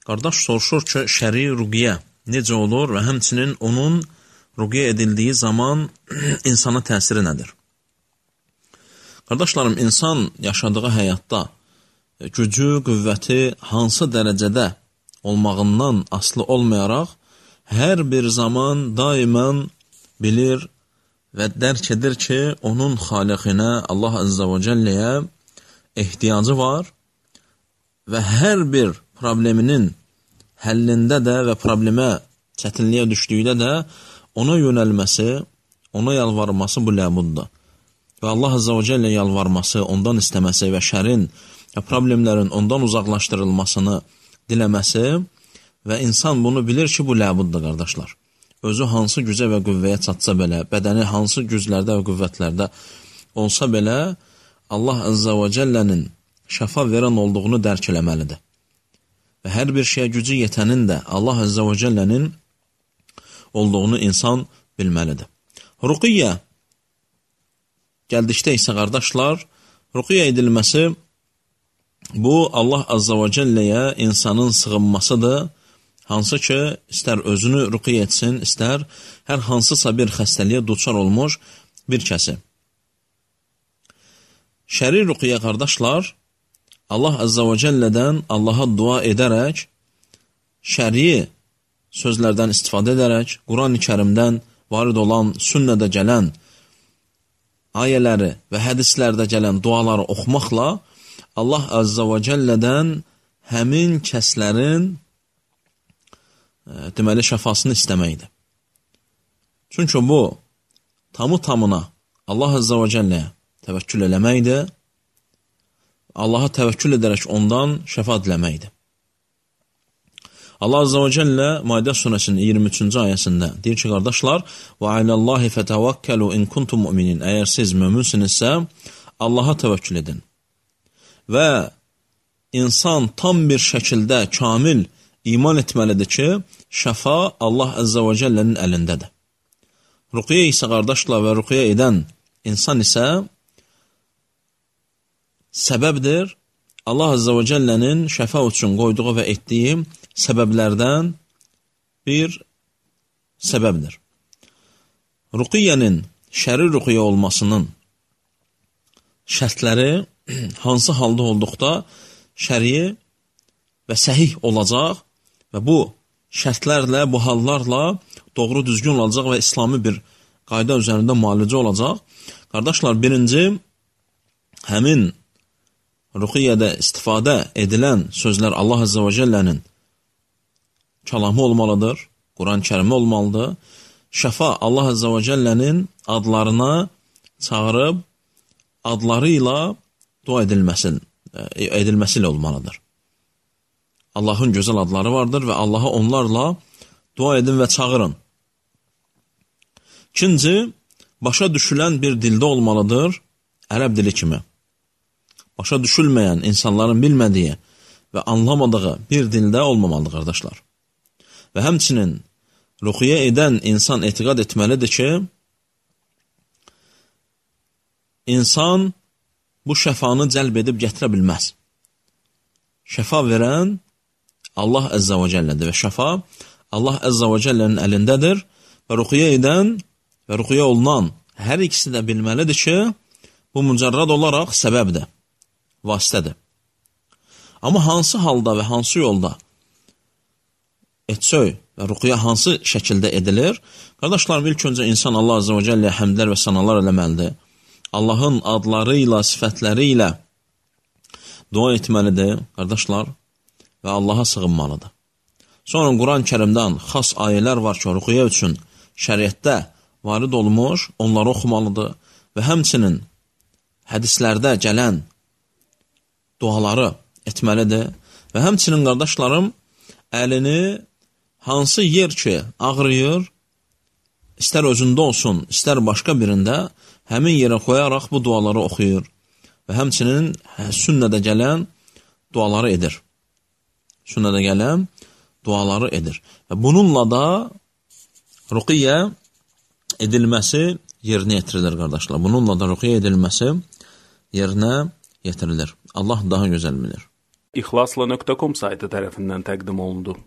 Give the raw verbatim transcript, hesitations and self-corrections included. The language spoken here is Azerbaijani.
Qardaş soruşur ki, şəri rüqiyyə necə olur və həmçinin onun rüqiyyə edildiyi zaman insana təsiri nədir? Qardaşlarım, insan yaşadığı həyatda gücü, qüvvəti hansı dərəcədə olmağından asılı olmayaraq, hər bir zaman daimən bilir və dərk edir ki, onun xaliqinə, Allah Azza və Cəlləyə ehtiyacı var və hər bir probleminin həllində də və problemə çətinliyə düşdüyüdə də ona yönəlməsi, ona yalvarması bu ləbuddur. Və Allah Azza və Cəllə yalvarması, ondan istəməsi və şərin və problemlərin ondan uzaqlaşdırılmasını diləməsi və insan bunu bilir ki, bu ləbuddur, qardaşlar. Özü hansı gücə və qüvvəyə çatsa belə, bədəni hansı güclərdə və qüvvətlərdə olsa belə, Allah Azza və Cəllənin şəfa verən olduğunu dərk eləməlidir. Və hər bir şeyə gücü yetənin də Allah Azza və Cəllənin olduğunu insan bilməlidir. Ruqiyyə gəldikdə isə, qardaşlar, ruqiyyə edilməsi bu Allah Azza və Cəlləyə insanın sığınmasıdır. Hansı ki, istər özünü ruqiyyə etsin, istər hər hansısa bir xəstəliyə duçar olmuş bir kəsi. Şəri ruqiyyə, qardaşlar, Allah Azza və Cəllədən Allaha dua edərək, şəri sözlərdən istifadə edərək, Quran-ı Kərimdən varid olan, sünnədə gələn ayələri və hədislərdə gələn duaları oxumaqla Allah Azza və Cəllədən həmin kəslərin deməli şəfasını istəməkdir. Çünki bu tamı tamına Allah Azza və Cəlləyə təvəkkül eləməkdir. Allaha təvəkkül edərək ondan şəfa diləməkdir. Allah Azza və Cəllə Maidə surəsinin iyirmi üçüncü ayəsində deyir ki, qardaşlar, və aləllahi fətəvəkkəlu in kuntum müminin. Əgər siz möminsinizsə, Allaha təvəkkül edin. Və insan tam bir şəkildə kamil iman etməlidir ki, şəfa Allah Azza və Cəllənin əlindədir. Ruqiyyə isə, qardaşlar, və ruqiyyə edən insan isə səbəbdir. Allah Azza və Cəllənin şəfa üçün qoyduğu və etdiyi səbəblərdən bir səbəbdir. Ruqiyyənin şəri ruqiyyə olmasının şərtləri hansı halda olduqda şəri və səhih olacaq və bu şərtlərlə, bu hallarla doğru düzgün olacaq və İslami bir qayda üzərində müalicə olacaq. Qardaşlar, birinci, həmin ruqiyyədə istifadə edilən sözlər Allah Azza və Cəllənin kəlamı olmalıdır, Quran-ı Kərimi olmalıdır. Şəfa Allah Azza və Cəllənin adlarına çağırıb, adları ilə dua edilməsi, edilməsi ilə olmalıdır. Allahın gözəl adları vardır və Allaha onlarla dua edin və çağırın. İkinci, başa düşülən bir dildə olmalıdır, ərəb dili kimi. Başa düşülməyən, insanların bilmədiyi və anlamadığı bir dildə olmamalıdır, qardaşlar. Və həmçinin ruqiyyə edən insan etiqad etməlidir ki, insan bu şəfanı cəlb edib gətirə bilməz. Şəfa verən Allah Əzzə və Cəllədir və şəfa Allah Əzzə və Cəllənin əlindədir və ruqiyyə edən və ruqiyyə olunan hər ikisi də bilməlidir ki, bu mücərrad olaraq səbəbdir, vasitədir. Amma hansı halda və hansı yolda etsöy və ruqiyyə hansı şəkildə edilir? Qardaşlarım, ilk öncə insan Allah Azza və Cəlləyə həmdlər və sanalar eləməlidir. Allahın adları ilə, sifətləri ilə dua etməlidir, qardaşlar, və Allaha sığınmalıdır. Sonra Quran-ı Kərimdən xas ayələr var ki, ruqiyyə üçün şəriətdə varid olmuş, onları oxumalıdır və həmçinin hədislərdə gələn duaları etməlidir və həmçinin, qardaşlarım, əlini hansı yer ki ağrıyır, istər özündə olsun, istər başqa birində, həmin yerə qoyaraq bu duaları oxuyur və həmçinin sünnədə gələn duaları edir. Sünnədə gələn duaları edir. Və bununla da ruqiyyə edilməsi yerinə yetirilir, qardaşlar. Bununla da ruqiyyə edilməsi yerinə yetirilir. Allah daha gözəl bilir. ixlasla nöqtə com saytı tərəfindən təqdim olundu.